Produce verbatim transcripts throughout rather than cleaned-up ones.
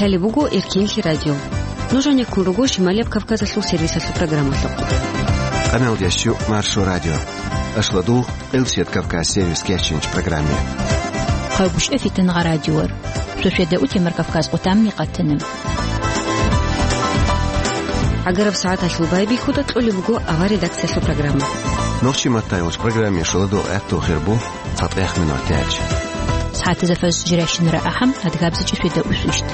Лъалеб буго Эркенлъи радио. Нуж гьанеккун руго Шималияб Кавказалъул сервисалъул программалъухъ. Къамел ящу Маршо радио. Ашладул Элчет Кавказ сервис кечинч программе. Хъайгушев Фитнагъа радиор. Суседа утемар Кавказ къутамни къатанам. Агараб сагӀаталъул байбихьуда кьолеб буго авар редакциялъул программа. Нохчи маттайулч программе шуладул гӀатту хирбу. ЦатӀехъ минут тяч. СагӀатазда фаз жиращинара ахӀам, адгабзичӀи светда усущт.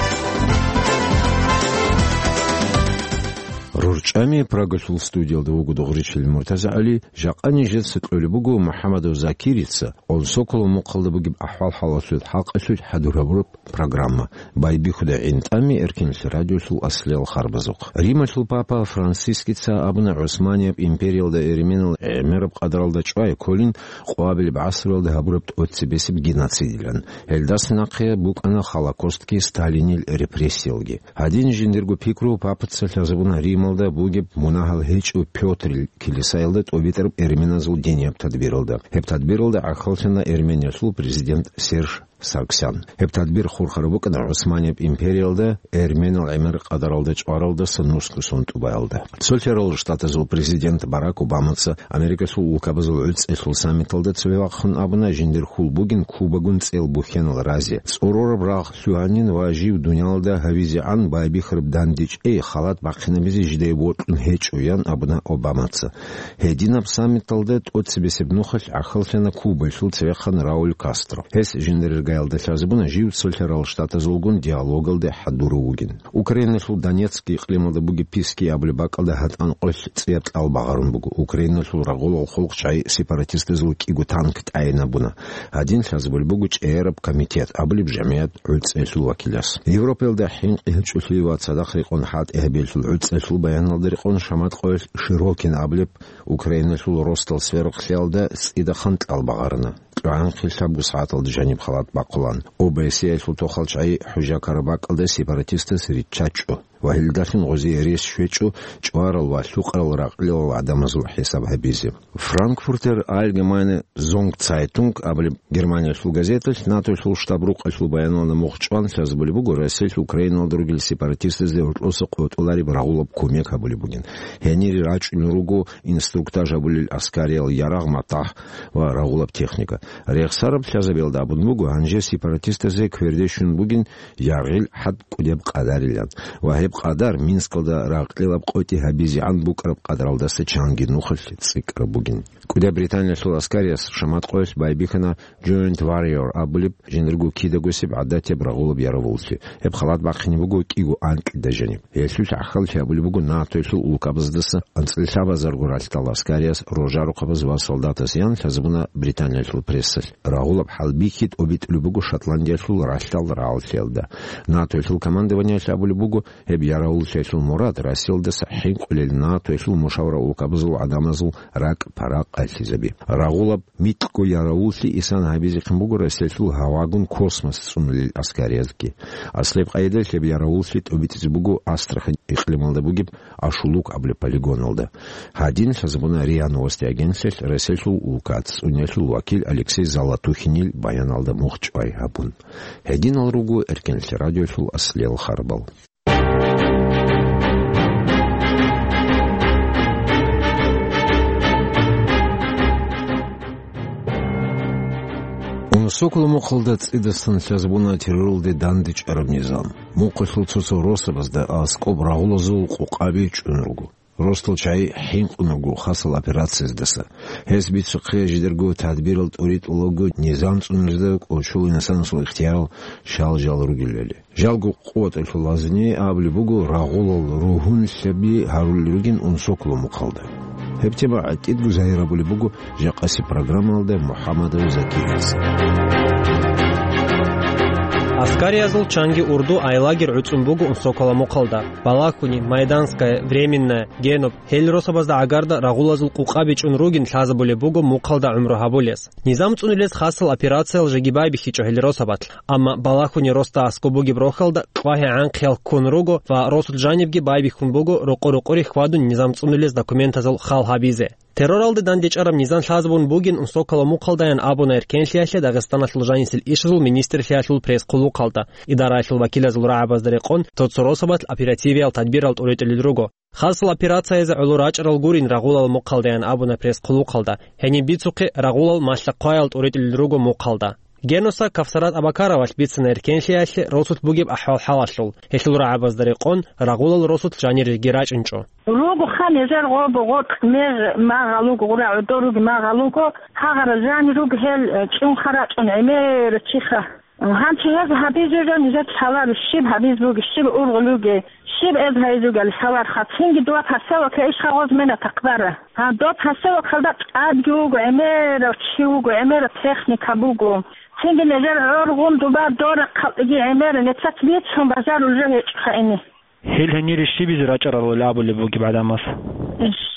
РурчӀами Прагалъул студиялда вуго Дугъричил МуртазагӀали, жакъа нижеца кьолеб буго МухӀаммадов Закирица, Унсоколо мухъалда бугеб ахӀвал-хӀалалъул хӀакъалъулъ хӀадур гьабураб программа. Байбихьуда гӀинтӀами Эркенлъи радиолъул аслиял харбазухъ. Рималъул папа Францискица абуна ГӀусманияб империялда эрменал гӀемераб къадаралда чӀвай кколин къвабилеб гӀасруялда гьабураб тӀоцебесеб геноцидилан. Гьелдаса нахъе букӀана Холокостги Сталинил репрессиялги. Гьадин жиндирго пикру папаца лъазабуна Рималда бугеб мунагьал гьечӀо Пётрил килисаялда тӀобитӀараб эрменазул динияб тадбиралда. Гьеб тадбиралда гӀахьаллъана Эрмениялъул президент Серж Сарксян. Гьеб тадбир хурхараб букӀана ГӀусманияб империялда, эрменал гӀемер къадаралда чӀваралдаса нусго сон тӀубаялда. Цолъарал Штатазул президент Барак Обамаца Америкасул улкабазул гӀуцӀелъул саммиталда цеве вахъун абуна, жиндир хьул бугин Кубагун цӀел бухьенал разе. ЦӀорораб рагъ лъугьанин ва жив дуниялда гьавизегӀан байбихьараб дандечӀей халат бахъинабизе жидее бокьун гьечӀо, ян абуна Обамаца. Гьединаб саммиталда тӀоцебесеб нухалъ гӀахьаллъана Кубаялъул цевехъан Рауль Кастро. Гьес жиндирер гаялда лъазабуна жив Цолъарал Штатазулгун диалогалде хӀадурав вугин. Украиналъул Донецк икълималда бугеб Писки абулеб бакӀалда гьатӀан къоялъ цӀияб кьал багъарун буго. Украиналъул рагъулал хъулухъчагӀи сепаратистазул кӀиго танк тӀайинабуна. Гьадин лъазабулеб буго ЧӀегӀераб комитет абулеб жамигӀат гӀуцӀелъул вакилас. Европаялда хӀинкъи гьечӀолъи ва цадахъ рекъон хӀалтӀи гьабиялъул гӀуцӀелъул баяналда рекъон шамат къоялъ Широкин абулеб Украиналъул росдал сверухълъиялда цӀидахъан кьал багъарана. КьогӀанхъи лъабго сагӀаталда жаниб халат бахъулан. ОБСЕ-ялъул тохалчагӀи хӀужа ккараб бакӀалда сепаратистас риччачӀо ва гьелдалъун гъозие рес щвечӀо чӀварал ва лъукъарал ракьлъилал гӀадамазул хӀисаб гьабизе. Франкфуртер Allgemeine Sonntag абулеб Германиялъул газеталъ НАТОялъул штаб-рукъалъул баяналда мухъ чӀван лъазабулеб буго Россиялъ Украиналда ругел сепаратистазде гьоркьоса къотӀулареб рагъулаб кумек гьабулеб бугин. Гьенире рачӀунел руго инструктаж гьабулел аскариял ярагъ-матагь ва рагъулаб техника. Рехсараб лъазабиялда абун буго, гьанже сепаратистазе кверде щун бугин яргъил хӀад кӀудеб къадарилан ва гьеб къадар Минскалда ракьилаб къотӀи гьабизегӀан букӀараб къадаралдаса чанги нухалъ цӀикӀкӀараб бугин. КӀудияб Британиялъул аскарияс шамат къоялъ байбихьана Joint Warrior абулеб жиндирго кидагосеб гӀадатияб рагъулаб яравуллъи. Гьеб халат бахъине буго кӀиго анкьида жаниб. Гьелъул гӀахьаллъи гьабулеб буго НАТОялъул улкабаздаса анцӀила лъабазарго ралъдал аскарияс, рожарухъабаз ва солдатас, ян лъазабуна Британиялъул прессалъ. Рагъулаб хӀалбихьи тӀобитӀулеб буго Шотландиялъул ралъдал рагӀаллъиялда. НАТОялъул командованиялъ абулеб буго, гьеб яравуллъиялъул мурад Россиялдаса хӀинкъулел НАТОялъул мушавра улкабазул гӀадамазул ракӀ-паракъ къайилъизаби. Рагъулаб микьго яравуллъи исан гьабизехъин буго Россиялъул гьавагун космос цӀунулел аскариязги. Аслаб къайдаялъ гьеб яравуллъи тӀобитӀизе буго Астрахань икълималда бугеб Ашулук абулеб полигоналда. Гьадин лъазабуна РИА Новости агентствоялъ Россиялъул улкаца цӀуниялъул вакил Алексей Золотухинил баяналда мухъ чӀвай гьабун. Гьединал руго Эркенлъи радиолъул аслиял харбал. Унсоколо мухъалда цӀидасан лъазабуна терроралде дандечӀараб низам. Мухъалъул цо-цо росабазда аскӀоб рагъулазул къукъаби чӀун руго. Росдал чагӀи хӀинкъун руго хасал операцияздаса. Гьес бицухъе жидерго тадбирал тӀуритӀулаго низам цӀунулезда кӀочол инсанасул ихтиярал щал-жал ругелали. Жалго къотӀалъул лазни абулеб буго, рагъулал ругьунлъаби гьарулел ругин Унсоколо мухъалда. Гьеб тема гӀатӀидго загьир гьабулеб буго жакъасеб программаялда МухӀаммадов Закирияс. Аскариязул чанги урду айлагер гӀуцӀун буго Унсоколо мухъалда. Балахуни, Майданская, Временная, Геноб, гьел росабазда гӀагарда рагъулазул къукъаби чӀун ругин лъазабулеб буго мухъалда гӀумру гьабулес. Низам цӀунулез хасал операциял жеги байбихьичӀо гьел росабалъ. Амма Балахуни росда аскӀоб бугеб рохьалда кьвагьи гӀанхъиял ккун руго ва росулъ жанибги байбихьун буго рокъо-рокъоре хьвадун низам цӀунулез документазул хал гьабизе. Терроралде дандечӀараб низам лъазабун бугин Унсокалал мухъалдаян абуна эркенлъиялъе Дагъистаналъул жанисел ишазул министрлъиялъул пресс-хъулухъалда. Идараялъул вакилазул рагӀабазда рекъон, цо-цо росабалъ оперативиял тадбирал тӀуритӀулел руго. Хасал операциязе гӀоло рачӀарал гурин рагъулал мухъалдаян абуна пресс-хъулухъалда. Гьениб бицухъе, рагъулал малъа-хъваял тӀуритӀулел руго мухъалда. Генуса Кавсарат Абакаровалъ бицана эркенлъиялъе росулъ бугеб ахӀвал-хӀалалъул. Гьелъул рагӀабазда рекъон, рагъулал росулъ жанир жеги рачӀунчӀо. Руго ха нижер гъоб-, гъоркь меж магъалуго, гъура гӀодор руги магъалуго, гьагъара жанир руго гьел, э, чӀунха рачӀун гӀемер чиха. Гьанчи гьез гьабизе жо нижер лъаларо, щиб гьабиз буги, щиб ургъул руги, щиб эз гьайзугал лъаларха. Цинги дова поселоке ишха гъоз мена такъдара. Гьа, доб поселокалда тӀадги вуго, гӀемерав чи вуго, гӀемерав техника буго. Цинги нижер гӀоргъун дуба дора халкъиги гӀемера, нецац бицун бажарул жо гьечӀоха ини. Гьел гьенире щибизе рачӀарал абулеб бугеб гӀадамас?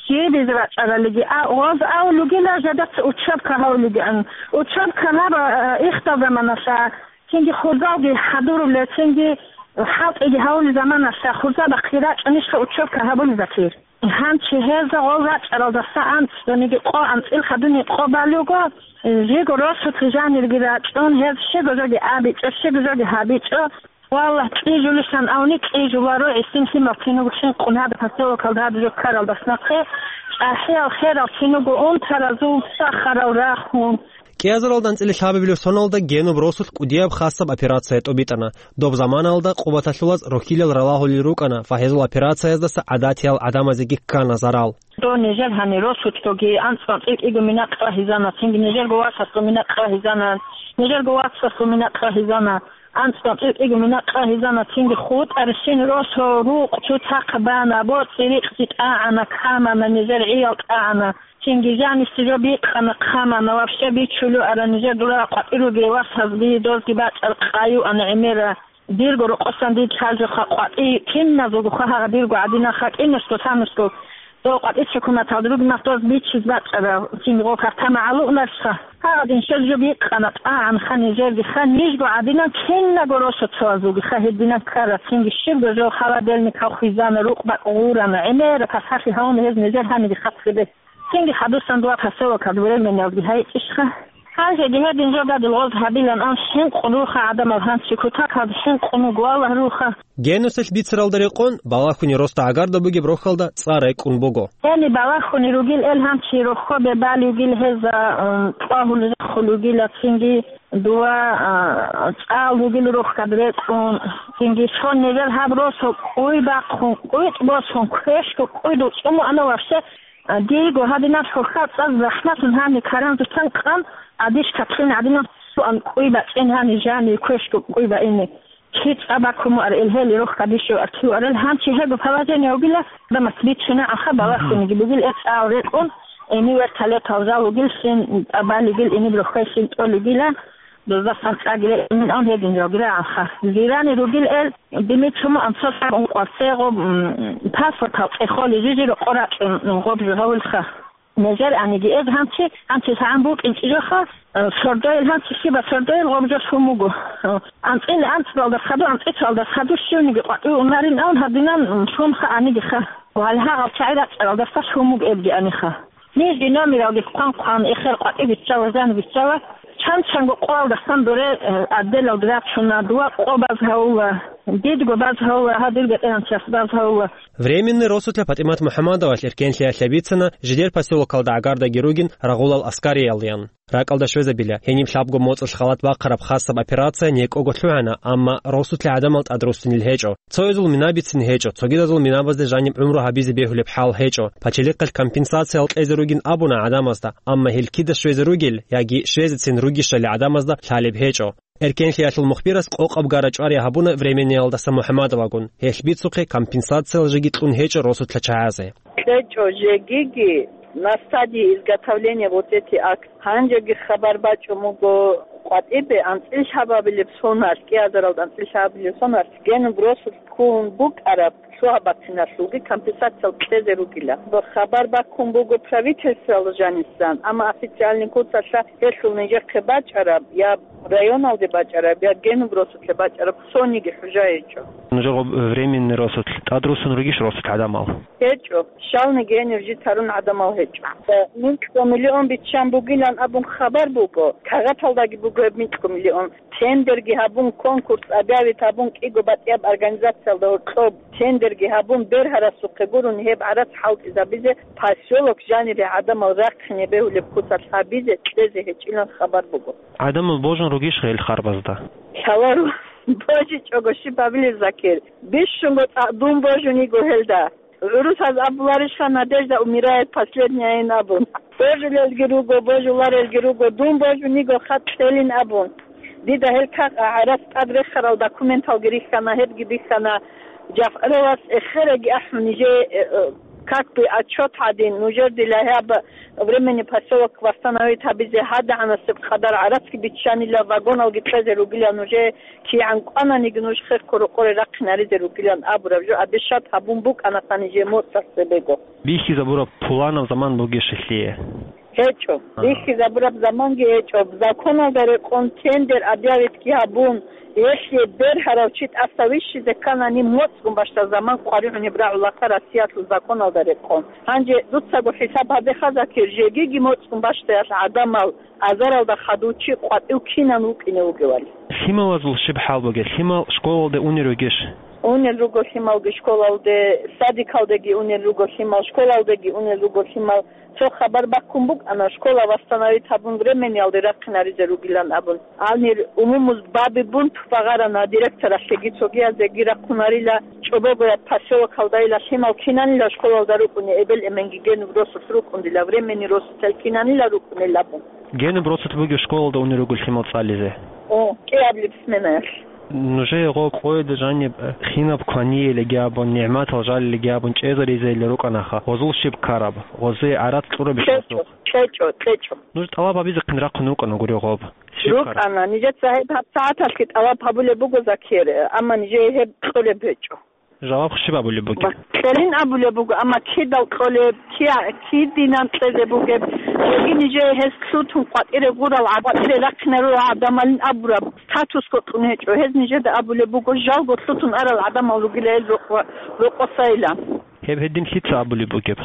Щибизе рачӀаралиги, а, гъоз авлугила жадаца учебка гьавлугиан. Учебка гьаба, а, ихтал заманалъа, цинги хурзалги хӀадуруле, цинги хӀалтӀиги гьавулел заманалъа, хурзабахъги рачӀунищха учебка гьабулезатир? Гьанчи гьезда гъол рачӀаралдаса анцӀцӀониги къо, анцӀил хадуни къо балуго, жиго росулъ жанирги рачӀун, гьез щего жоги абичӀо, щего жоги гьабичӀо. Валлагь, кьижулищан авни кьижуларо, гӀисин лъимал кинуго хӀинкъун гьаб поселокалда гьаб жо ккаралдас нахъе, чӀахӀиял херал кинуго унтаразул сахарал рахун. КӀиазаралда анцӀила лъабабилеб соналда генуб росулъ кӀудияб хасаб операция тӀобитӀана. Доб заманалда къубаталъулаз рохьилал ралагьулел рукӀана ва гьезул операцияздаса гӀадатиял гӀадамазеги ккана зарал. Дов нижер гьанир росулъги анцӀ-анцӀил кӀиго мина къагьизана, цинги нижерго васасго мина къагьизана, нижерго васасго мина къагьизана, анцӀ-анцӀил кӀиго мина къагьизана, цинги хутӀарщин росо рукъ цуцахъ бана, боцӀи-рикъзи тӀагӀана, камана, нижер гӀиял тӀагӀана. Цинги жанисе жо бикъана, хъамана, вообще бичулев ара нижер дура къватӀир ругел васазги, дозги бацӀар къаюана гӀемера. Дирго рокъосан дид лъазухъа къватӀи киназулгуха гьагъа дирго гӀадинал хакӀинасго санусго. Дов къватӀи чукуматалда ругинал доз бичиз бацӀара, цинги гъо картама гӀалугӀунарщха. Гьагъадин щвез жо бикъана, тӀагӀанха нижерги ха, нижго гӀадинан кинаго росо цоазулги ха гьединан ккара, цинги щибго жо халаделникал хвезана, рукъ бакӀ гъурана, гӀемера пасалъи гьавуна гьез нижер гьаниги хаслъи бе. Цинги хадусан дуа поселокалда временналги гьайчӀищха. Гьанжеги гьедин жо гадил гъоз гьабилан ан хӀинкъун руха гӀадамал гьанчи кутакалда хӀинкъун вуго Аллагь руха. Генусалъ бицаралда рекъон, балагьуни росда гӀагарда бугеб рохьалда цӀар рекӀун буго. Гьени балагьуни ругил эл гьанчи рохьобе балигил гьеза, м, кьвагьул рехул ругила цинги дуа, а, цӀал ругил рохьад рекӀун, цинги сон нижер гьаб росо кӀуй бахъун, кӀуйтӀ босун, квешго кӀуйдул цӀумуана вообще. А, диего гьадинаб хӀурхьа цӀаз захӀматун гьани каранзутан къан, адиш катлъин гӀадинаб суан кӀуй бачӀин гьани жани квешго кӀуй баине. Чи цӀа бакумуар ил гьели рохь кадишев аркиварел гьанчи гьего положение вугила, дамас биччина аха балахуниги бугил э цӀал рекӀун, эни вертолетал жал вугилщин, тӀабалигил иниб рохьайщин тӀолигила. Дозасан цӀагила имин ан гьедин жогира анха. Зирани ругил эл, дими чуму анцо сабун къварцегъо, м, паспортал цӀехоли жижи рокъо рачӀун гъоб жо гьавулха. Нежер аниги эз гьанчи, гьанчи лъагӀан букӀин чӀижоха, э, сордоил гьанчи щиба сордоил гъоб жо шумуго. Э, анцӀил анцӀбалда хаду, анцӀицалда хаду щивниги къватӀи унарин ан гьадинан, м, шумха аниги ха. Ва гьалгьагъал чагӀи рачӀаралдаса шумуг эбги аниха. Нижги номералги хъван-хъван эхер къватӀи биччала, жан биччала, чан-чанго къоялдасан доре, э, отделалги рачуна, дуа къо баз гьавула, дидго баз гьавула, гьадир бетӀеран час баз гьавула. Временный росулъа ПатӀимат МухӀаммадовалъ эркенлъиялъе бицана, жидер поселокалда гӀагардаги ругин рагъулал аскариялъян. РакӀалда щвезабила, гьениб лъабго моцӀалъ халат бахъараб хасаб операция некӀого лъугӀана, амма росулъа гӀадамал тӀад руссинил гьечӀо. Цоязул мина бицин гьечӀо, цогидазул минабазде жаниб гӀумру гьабизе бегьулеб хӀал гьечӀо. Пачалихъалъ компенсациял кьезе ругин абуна гӀадамазда, амма гьел кида щвезе ругел яги щвезецин ругищали гӀадамазда лъалеб гьечӀо. Эркенлъиялъул мухбирас къокъаб гара чӀвари гьабуна Временниялдаса МухӀаммадовагун, гьелъ бицухъе компенсациял жеги кьун гьечӀо росулъа чагӀазе. КьечӀо жегиги на стадии изготовления вот эти акт. Гьанжеги хабар бачӀун буго къватӀибе анцӀил лъабабилеб сонар, кӀиазаралда анцӀил лъабабилеб сонар, генуб росулъ ккун букӀараб лъугьа-бациналъулги компенсациял кьезе ругила. Хабар баккун буго правительствоялда жанисан, амма официальный куцалъа гьелъул нижехъе бачӀараб я районалде бачӀараб, я генуб росулъе бачӀараб сониги хӀужа гьечӀо. Нужер гъоб временный росулъ тӀадруссун ругищ росулъ гӀадамал? ГьечӀо, щалниги гьенир жит гьарун гӀадамал гьечӀо. Микьго миллион биччан бугилан абун хабар буго, кагъаталдаги буго гьеб микьго миллион. Тендерги гьабун, конкурс объявить гьабун, кӀиго батӀияб организациялда гьоркьоб тендерги гьабун, бергьарасухъе гурун гьеб гӀарац хӀалтӀизабизе, поселок жанире гӀадамал рахъине бегьулеб куцалъ гьабизе кьезе гьечӀилан хабар буго. ГӀадамал божун ругищ гьел харбазда? Лъаларо божичӀого щиб гьабилеб, Закир? Бищунго цӀакъ дун божун йиго гьелда. ГӀурусаз абуларищха: «Надежда умирает последняя», ин абун. Божулелги руго, божуларелги руго, дун божун йиго хатӀ кьелин абун. Дида гьел кагъ гӀарац тӀад рехарал документалги рихьана, гьебги бихьана. ЖафгӀаровас эхераги ахӀун, нижее, э, э, как бы отчёт гьадин, нужер дила гьаб временный поселок восстановить гьабизе гьадагӀанасеб къадар гӀарацги биччанила, вагоналги кьезе ругила нужее, кигӀан кӀвананиги нуж хехго рокъоре рахъинаризе ругилан абураб жо обещать гьабун букӀанаха нижее моцӀалъ цебего. Бихьизабураб пуланаб заман бугищ лъие? ГьечӀо. Ага. Бихьизабураб заманги гьечӀо. Законалда рекъон тендер объявитги гьабун, гьелъие бергьарав чи тӀаса вищизе кканани, моцӀгун бащдаб заман къваригӀунеб рагӀулаха Россиялъул законалда рекъон. Гьанже дуцаго хӀисаб гьабеха, Закир, жегиги моцӀгун бащдаял гӀадамал азаралда хадув чи къватӀив кинан вукӀине вугевали. Лъималазул щиб хӀал бугеб? Лъимал школалде унел ругищ? Унел руго лъималги школалде, садикалдеги унел руго лъимал, школалдеги унел руго лъимал. Цо хабар баккун букӀана, школа восстановить гьабун временниялде рахъинаризе ругилан абун. Гьанир умумуз баби бунт багъарана директоралъеги цогиязеги рахъунарила, чӀобогояб поселокалдайила лъимал кинанила школалда рукӀуни эбел-эменги генуб росулъ рукӀун дила временный росулъ кинанила рукӀунел абун. Генуб росулъ бугеб школалда унел руго лъимал цӀализе? О, кӀиаблеб сменаялъ. Нужее гъо къоялда жаниб, э, хинаб кваниялиги абун, нигӀматал жалилиги абун чӀезаризейилан рукӀанаха, гъозул щиб ккараб, гъозие гӀарац кьурабищ гъосухъ? КьечӀо, кьечӀо. Нуж тӀалаб гьабизе хъин рахъун вукӀана гури гъоб. Щиб ккараб? РукӀана, нижеца гьеб гьабсагӀаталъги тӀалаб гьабулеб буго, Закир, амма нижее гьеб кьолеб гьечӀо. Жаваб щиб абулеб бугеб? Кьелин абулеб буго, амма кидал кьолеб, кия-, кидинан кьезе бугеб, цоги нижее гьес лъутун къватӀире гъурал гӀад-, къватӀире рахъинарула гӀадамалин абураб статусго кьун гьечӀо. Гьез нижеда абулеб буго, жалго лъутун арал гӀадамал ругила гьел рокъо-, рокъосайилан. Гьеб гьедин лъица абулеб бугеб?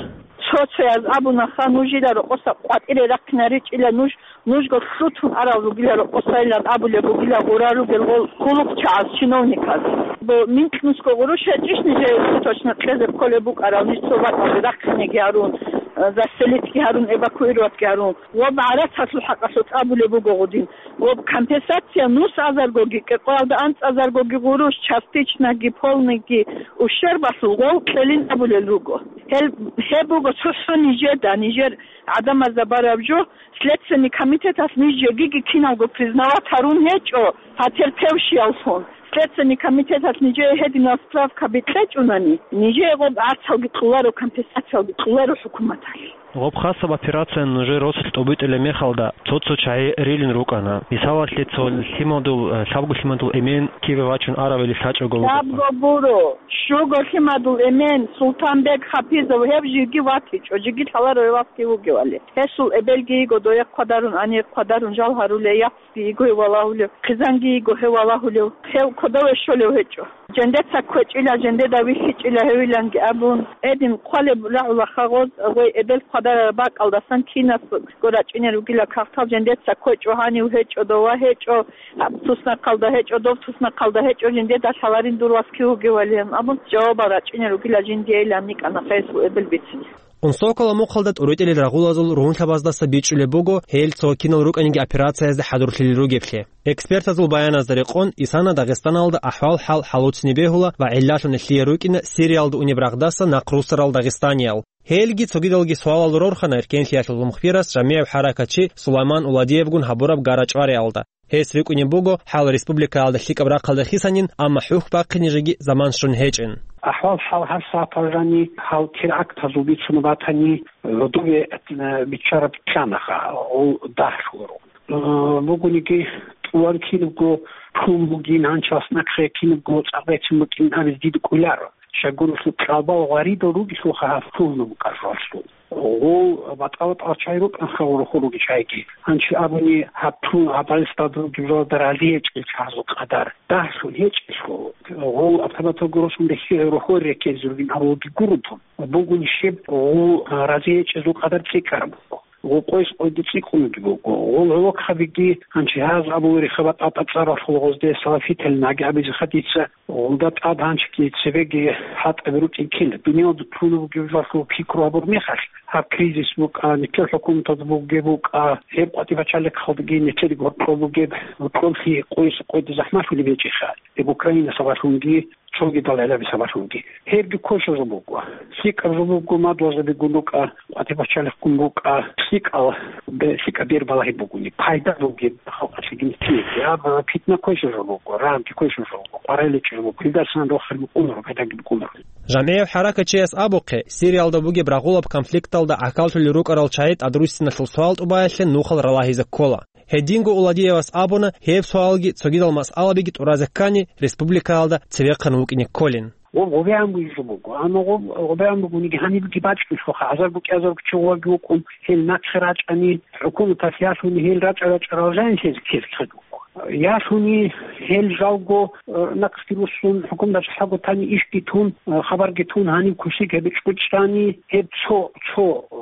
Цо-цояз абунаха, нужила рокъоса къватӀире рахъинаричӀила нуж, нужго лъутун арал ругила рокъосайилан абулеб бугила гъура ругел гъол хъулухъчагӀаз, чиновниказ. Бо-, минкьнусго гъурущ гьечӀищ нижее точно кьезе кколеб букӀарал, ниж цо бакӀалде рахъинеги гьарун, э, заселитги гьарун, эвакуироватги гьарун. Ва гӀарацалъул хӀакъалъулъ абулеб буго гъудин. Ва компенсация нус азаргоги, кӀикъоялда анцӀазаргоги гъурущ, частичноги, полныйги, ущербалъул гъол кьелин абулел руго. Гьел, гьеб буго цохӀо нижеда, нижер гӀадамазда бараб жо, Следственный комитеталъ ниж жегиги киналго признавать гьарун гьечӀо, потерпевшияллъун. Следственный комитеталъ нижее гьединал справкаби кьечӀунани, нижее гъоб гӀарцалги кьоларо, компенсациялги кьоларо хӀукуматалъ. Гъоб хасаб операция нужер росулъ тӀобитӀулеб мехалда цо-цо чагӀи рилин рукӀана. Мисалалъе, цо лъимадул, э, лъабго лъимадул эмен кибе вачун аравили лъачӀого вуго. Лъабго гуро, щуго лъимадул эмен Султанбек Хапизов, гьев жиги ватичӀо, жиги лъаларо гьев ватги вугевали. Гьесул эбелги йиго дое хъвадарун, гьанир хъвадарун жал гьарулей, яхцги йиго гьев валагьулев, хъизанги йиго гьев валагьулев, гьев кодове щолев гьечӀо. Жендеца кквечӀила, жендеда вихьичӀила гьевиланги абун, гьедин хъвалеб рагӀула хагъоз, гъой эбел хъвадарараб бакӀалдасан кинасго рачӀине ругила кагътал, жендеца кквечӀо, гьанив гьечӀо, дова гьечӀо, гьаб туснахъалда гьечӀо, дов туснахъалда гьечӀо, жиндеда лъаларин дур вас кив вугевалин абун, жавабал рачӀине ругила жиндиейилан никӀана гьесул эбел бицине. Унсокола мухъалда тӀуритӀилел рагъулазул ругьунлъабаздаса бичӀчӀулеб буго, гьел цо кинал рукӀаниги операциязда хӀадурлъилел ругеблъи. Экспертазул баяназда рекъон, исана Дагъистаналда ахӀвал-хӀал хӀалуцни бегьула ва гӀиллалъун лъие рукӀина Сириялда унеб рагъдаса нахъ руссарал дагъистаниял. Гьелги цогидалги суалал рорхана эркенлъиялъул мухбирас жамигӀав хӀаракатчи Сулайман Уладиевгун гьабураб гара-чӀвариялда. Гьес рикӀкӀунеб буго хӀал республикаялда лъикӀаб рахъалда хисанин, амма хӀухь бахъине жеги заман щун гьечӀин. АхӀвал-хӀал гьаб сагӀаталда жаниб гьал терактазул бицун батани, гьудове, э, биччараб кканаха, гьул дагь лъугьарун. Э, бугониги, тӀуван кинабго ккун бугин, гьанчалас нахъе кинабго цӀакъ бецин букӀин абизе дида кӀоларо. Щайгурелъул кьалбал гъваридал ругелъулха гьаб лъугьунеб букӀаралъул. Гъол батӀа-батӀал чай рукӀанха гъорохо руги чайги. Гьанчи абуни гьаб лъугьун гьаб Дагъистада ругеб жоялда разиячӀел чагьазул къадар дагьлъун гьечӀелъул, гъол автоматалго росун рехи-, рохор реккелзе ругин абулги гурун тун. Бугун щиб гъол разиячӀезул къадар цӀикӀкӀараб буго. Гъукъойс къойде цӀикӀкӀунги буго. Гъол гӀолохъабиги гьанчи гьаз абулари хабатӀа-тӀацӀаралъул гъозде салафитал наги абизе хадица, гъолда тӀад гьанчиги цебеги хӀатӀаби рукӀин ккела. Дуниялда лъугьунеб бугеб жоялъул пикру гьабур мехалъ, гьаб кризис букӀа, нилъер хӀукуматалда бугеб букӀа, гьеб къватӀибачагӀлъи хъалдаги нилъедаги гьоркьоб бугеб, гьоркьоблъи къойс къойде захӀмалъулеб гьечӀеха. Гьеб Украина сабаблъунги, цогидал гӀелаби сабаблъунги. Гьебги кколъа жо буго. ЛъикӀаб жо буго, мадугьалзабигун рукӀа, къватӀибачагӀлъихъгун рукӀа, лъикӀал, бе-, лъикӀаб бер балагьи бугони, пайда бугеб халкъалъеги нилъееги. Аб питна кколъа жо буго, рагӀги кколъа жо буго, къваригӀел гьечӀеб жо буго. Гьелдасан рохел букӀунаро, пайдаги букӀунаро. ЖамгӀияб хӀаракатчияс абухъе, Сириялда бугеб рагъулаб конфликталда гӀахьаллъулел рукӀарал чагӀи тӀадруссиналъул суал тӀубаялъе нухал ралагьизе ккола. Гьединго Уладиевас абуна, гьеб суалги цогидал масъалабиги тӀуразе ккани, республикаялда цевехъан вукӀине кколин. Гъоб гъобегӀан бугеб жо буго, амма гъоб гъобегӀан бугониги гьанибги бачӀунелъулха, азарго кӀиазарго чи гъоваги вукӀун, гьел нахъе рачӀани, хӀукуматалъ ялъуни гьел рачӀа-рачӀарал жанилъезе ккезе ккезе буго. Ялъуни гьел жалго, э, нахъги руссун, хӀукуматалъ хӀаго тани ишги тун, э, хабарги тун, гьаниб кусиг гьеб чӀучӀани, гьеб цо, цо, э,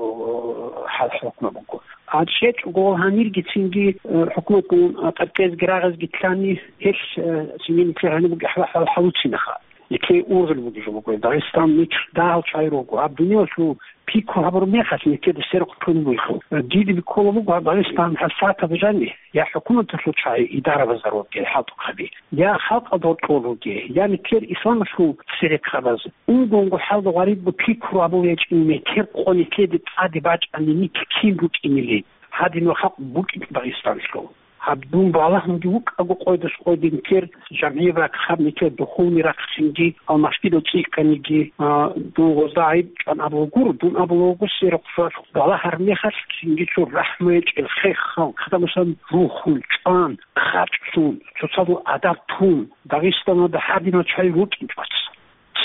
хӀал-хӀукму буго. А чӀечӀого гьанирги цинги, э, хӀукуматгун, э, тӀадкъезги рагъазги ккани, гьелъ, э, цинги нилъер гьаниб бугеб хӀал-, хӀал-, хӀалуцинеха. Нилъее ургъел бугеб жо буго. Дагъистан нилъ дагьал чагӀи руго. Гьаб дуниялалъул пикру гьабураб мехалъ нилъеда сверухъ тун бугелъул. Э, дида биккола буго гьаб Дагъистан гьабсагӀатаб жаниб я хӀукуматалъул чагӀи идарабазда ругел хӀалтӀухъаби, я халкъалда гьоркьор ругел, я нилъер исламалъул церехъабаз. Унго-унго хӀалда гъваридго пикру гьабулеб гьечӀин, метер къо нилъеде тӀаде бачӀани нилъ кин рукӀинилин, гьадинал халкъ букӀин Дагъистаналъул. Гьаб дун балагьунги вукӀаго къойдас къойде нилъер жамгӀияб рахъ, гьаб нилъер духовный рахъ цинги, алмашкидал цӀикӀкӀаниги, а, дун гъозда гӀайиб чӀван абула гуро, дун абула вуго сверухъ балагьараб мехалъ цинги цо рахӀму гьечӀел хехал, хадамасан рухун, чӀван, хъачӀлъун, цоцазул адаб тун, Дагъистаналда гьадинал чагӀи рукӀинчӀоца.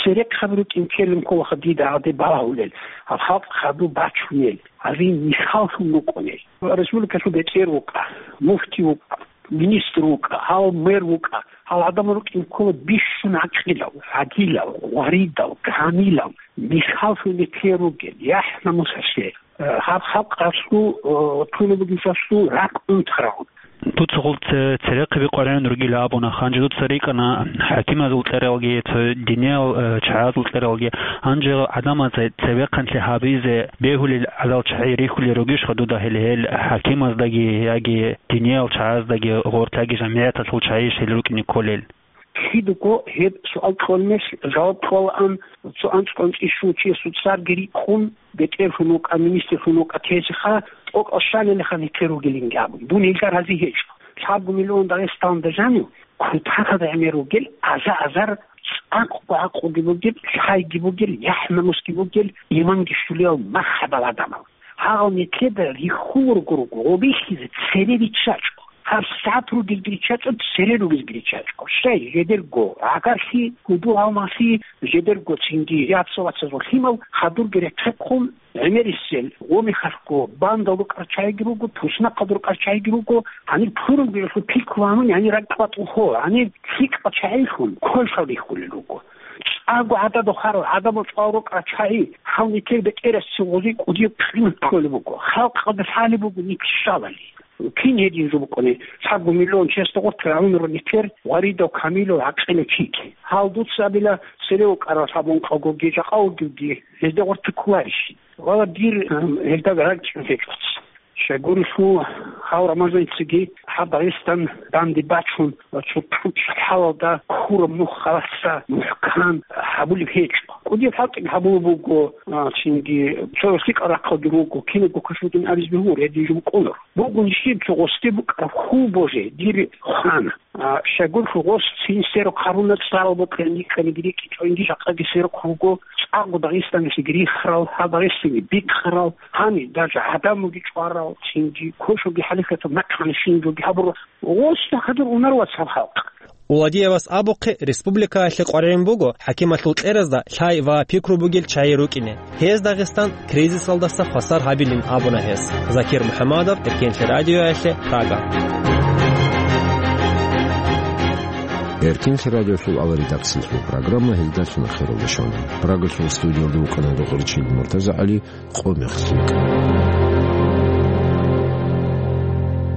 Церехъаб рукӀин ккелин кколаха дида гьаде балагьулел, гьаб халкъ хадуб бачунел, гьазие мисаллъун букӀунел. Республикалъул бетӀер вукӀа, муфти вукӀа, министр вукӀа, гьал мэр вукӀа, гьал гӀадамал рукӀин ккола бищун гӀакъилал, гӀадилал, гъваридал, камилал, мисаллъун нилъее ругел, яхӀ-намусалъе. Э, гьаб халкъалъул, э, тунеб бугеб жо ракӀ унтарав. Дуца гъул це-, церехъаби къваригӀун ругила абуна, гьанже дуца рикӀкӀана хӀакимазул цӀералги, цо диниял, э, чагӀазул цӀералги. Гьанже гӀадамазе цевехъанлъи гьабизе бегьулел гӀадал чагӀи рихьулел ругищха дуда гьел, гьел хӀакимаздаги яги диниял чагӀаздаги гъоркьа яги жамигӀаталъул чагӀийищ гьел рукӀине кколел? Кидаго гьеб суал кьолмелъ жаваб кьолаан цо анцӀго-анцӀила щул чиясул цӀарги рикӀкӀун, бетӀерлъун вукӀа, министрлъун вукӀа тезеха, тӀокӀал щалилаха нилъер ругелинги абун. Дун гьелда рази гьечӀо. Лъабго миллион Дагъистаналда жанив, кутакалда гӀемер ругел, аза-азар, цӀакъго гӀакъуги бугел, лъайги бугел, яхӀ-намусги бугел, иманги щулиял маххӀадал гӀадамал. Гьагъал нилъеда рихьуларго руго, гъобихьизе цере риччачӀо. ГьабсагӀат ругелги риччачӀо, цере ругезги риччачӀо. Щай, жидерго гӀагарлъи, гьудул-гьалмагълъи, жидерго цинги яца-вацазул лъимал хадурги рехъехъун, гӀемерисел, гъомихалъго, бандал рукӀар чагӀиги руго, туснахъалда рукӀар чагӀиги руго, гьанир пурунги гьелъул пикру гьанун, гьанир ракӀ батӀулъо, гьанир лъикӀал чагӀилъун квешал рихьулел руго. ЧӀаго гӀадада хварал гӀадамал чӀвал рукӀа чагӀи, гьав нилъер бетӀерасцин гъози кӀудияб къимат кколеб буго, халкъалда лъалеб буго нилъ щалали. Кин гьедин жо букӀуни, лъабго миллион чиясда гъоркье рагӀунарун нилъер гъваридав камилав гӀакъилав чиги. Гьал дуца абила, цере вукӀарал лъабун къагоги, жакъа вугевги, гьезда гъоркье кколарищ? Вала дир, ам, гьелда ракӀчӀун гьечӀоц. Щайгурелъул гьав Рамазанициги гьаб Дагъистан данде бачун ва цо тӀучӀ хӀалалда ккураб нух халасса мухӀкан гьабулеб гьечӀо. КӀудияб хӀалтӀиги гьабулеб буго, а, цинги цо лъикӀал рахъалги руго, кинабго кашрутӀун абизе бегьур, гьедин жо букӀунар. Бугун щиб цо гъосде букӀараб хьул боже, дир хвана. А, щайгурелъул гъос цин сверухъ гьаруна цӀарал бокьани, кӀаниги рикӀкӀинчӀониги жакъаги сверухъ руго, цӀакъго Дагъистаналъеги рихарал, гьаб Дагъистанги бикъарал, гьаниб даже гӀадамалги чӀварал, цинги квешалги хӀалихьатаб нахъани щинабги гьабурал. Гъос хадур унар вацал халкъ. Уладиевас абухъе, республикаялъе къваригӀун буго хӀакималъул кьеразда лъай ва пикру бугел чагӀи рукӀине. Гьез Дагъистан кризисалдаса хвасар гьабилин абуна гьес. Закир МухӀаммадов, Эркенлъи радиоялъе, Прага. Эркенлъи радиолъул ала редакциялъул программа гьелдалъун ахиралде щвана. Прагалъул студиялда вукӀана рокъорчил МуртазагӀали. Къо мехлъи.